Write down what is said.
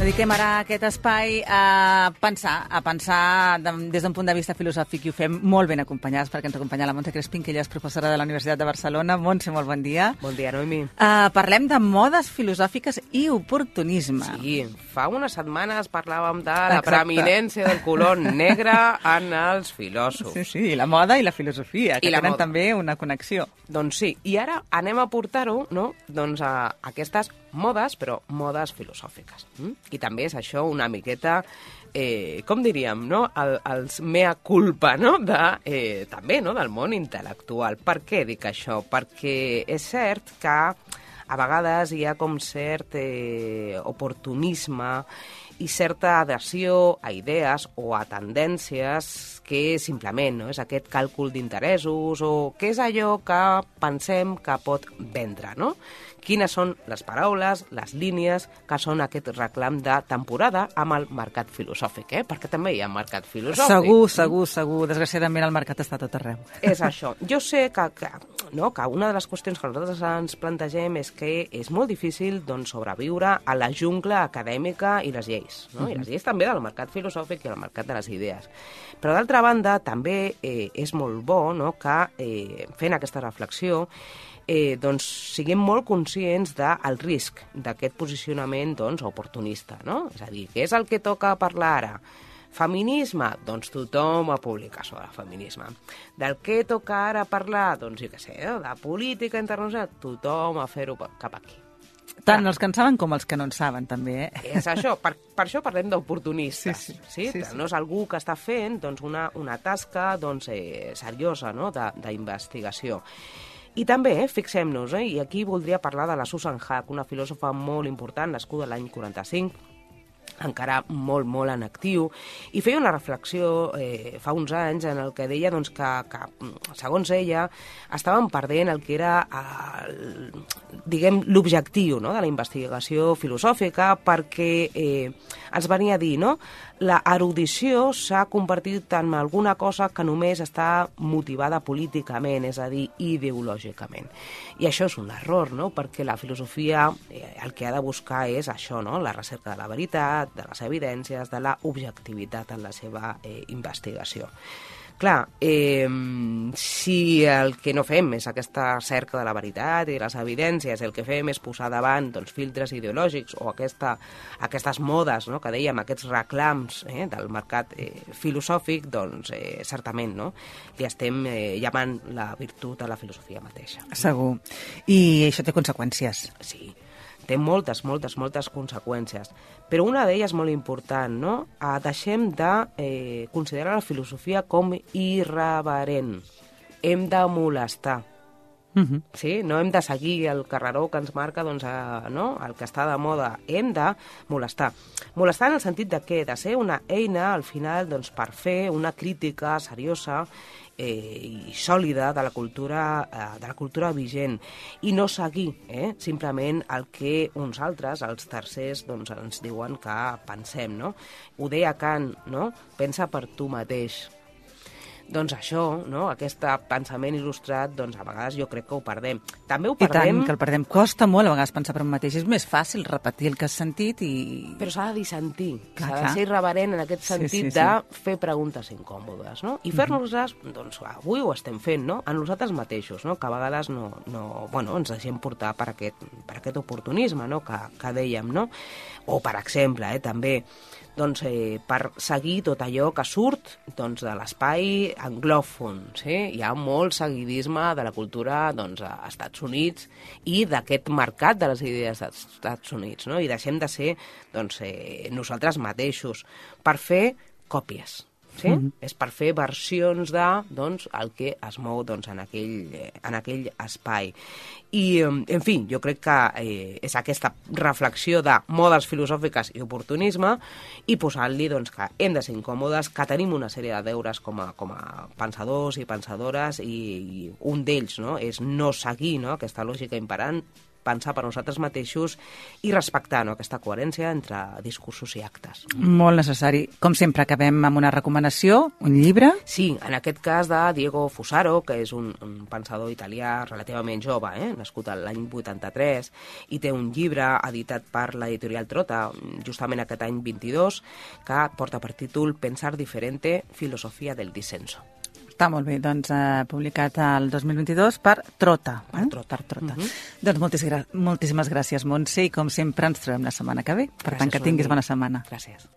Dediquem ara aquest espai a pensar des d'un punt de vista filosòfic, i ho fem molt ben acompanyats, perquè ens acompanya la Montse Crespin, que ella és professora de la Universitat de Barcelona. Montse, molt bon dia. Bon dia, Noemi. Parlem de modes filosòfiques i oportunisme. Sí, fa unes setmanes parlàvem de la preeminència del color negre en els filòsofs. Sí, la moda i la filosofia, que tenen també una connexió. Doncs sí, i ara anem a portar-ho, no?, doncs a aquestes modes, però modes filosòfiques. I també és això una miqueta, com diríem, no?, els mea culpa, no?, també, no?, del món intel·lectual. Per què dic això? Perquè és cert que a vegades hi ha com cert oportunisme i certa adhesió a idees o a tendències que simplement, no?, és aquest càlcul d'interessos o què és allò que pensem que pot vendre, no? Quines són les paraules, les línies que són aquest reclam de temporada amb el mercat filosòfic, perquè també hi ha mercat filosòfic. Segur. Desgraciadament el mercat està a tot arreu. És això. Jo sé que una de les qüestions que nosaltres ens plantegem és que és molt difícil sobreviure a la jungla acadèmica i les lleis, no? I les lleis també del mercat filosòfic i del mercat de les idees. Però d'altra banda també és molt bo, no?, que fent aquesta reflexió siguem molt conscients del risc d'aquest posicionament oportunista, no? És a dir, què és el que toca parlar ara? Feminisme? Doncs tothom a publicar sobre el feminisme. Del què toca ara parlar? Doncs jo què sé, de política internacional? Tothom a fer-ho cap aquí. Tant els que en saben com els que no en saben, també, És això, per això parlem d'oportunistes. Sí? No és algú que està fent una tasca seriosa, no?, d'investigació. I també, fixem-nos, i aquí voldria parlar de la Susan Haack, una filòsofa molt important, nascuda l'any 45, encara molt en actiu, i feia una reflexió fa uns anys en el que deia que segons ella, estaven perdent el que era l'objectiu, no?, de la investigació filosòfica, perquè ens venia a dir, no?, la erudició s'ha convertit en alguna cosa que només està motivada políticament, és a dir, ideològicament. I això és un error, no?, perquè la filosofia el que ha de buscar és això, no?, la recerca de la veritat, de les evidències, de la objectivitat en la seva investigació. Clar, si el que no fem és aquesta cerca de la veritat i de les evidències, el que fem és posar davant filtres ideològics o aquestes modes, no?, que dèiem, aquests reclams del mercat filosòfic, doncs certament, no?, li estem llamant la virtut a la filosofia mateixa. Segur. I això té conseqüències. Sí. Té moltes conseqüències. Però una d'elles molt important, no? Deixem de considerar la filosofia com irreverent. Hem de molestar. Sí? No hem de seguir el carreró que ens marca no? El que està de moda. Hem de molestar. Molestar en el sentit de què? De ser una eina, al final, per fer una crítica seriosa i sòlida de la cultura vigent, i no seguir simplement el que uns altres, els tercers, ens diuen que pensem, no? Ho deia Kant, no? Pensa per tu mateix. Doncs això, no?, aquest pensament il·lustrat, a vegades jo crec que ho perdem. També ho perdem... I tant, que el perdem. Costa molt a vegades pensar per un mateix. És més fàcil repetir el que has sentit i... Però s'ha de dissentir. S'ha de ser irreverent en aquest sentit de fer preguntes incòmodes, no? I fer-nos-les, avui ho estem fent, no?, a nosaltres mateixos, no?, que a vegades ens deixem portar per aquest oportunisme, no?, que dèiem, no? O, per exemple, també... per seguir tot allò que surt de l'espai anglòfon. Sí? Hi ha molt seguidisme de la cultura als Estats Units i d'aquest mercat de les idees dels Estats Units, no? I deixem de ser nosaltres mateixos per fer còpies. Sí? És per fer versions el que es mou en aquell espai. I, en fi, jo crec que és aquesta reflexió de modes filosòfiques i oportunisme i posant-li que hem de ser incòmodes, que tenim una sèrie de deures com a pensadors i pensadores, i un d'ells, no?, és no seguir, no?, aquesta lògica imperant, pensar per nosaltres mateixos i respectar, no?, aquesta coherència entre discursos i actes. Molt necessari. Com sempre, acabem amb una recomanació, un llibre. Sí, en aquest cas de Diego Fusaro, que és un pensador italià relativament jove, nascut l'any 83, i té un llibre editat per l'editorial Trota, justament aquest any 22, que porta per títol Pensar diferente, filosofia del dissenso. Està molt bé, doncs publicat el 2022 per Trota. Per Trota. Doncs moltíssimes gràcies, Montse, i com sempre ens trobem la setmana que ve. Per tant, que tinguis bona setmana. Gràcies.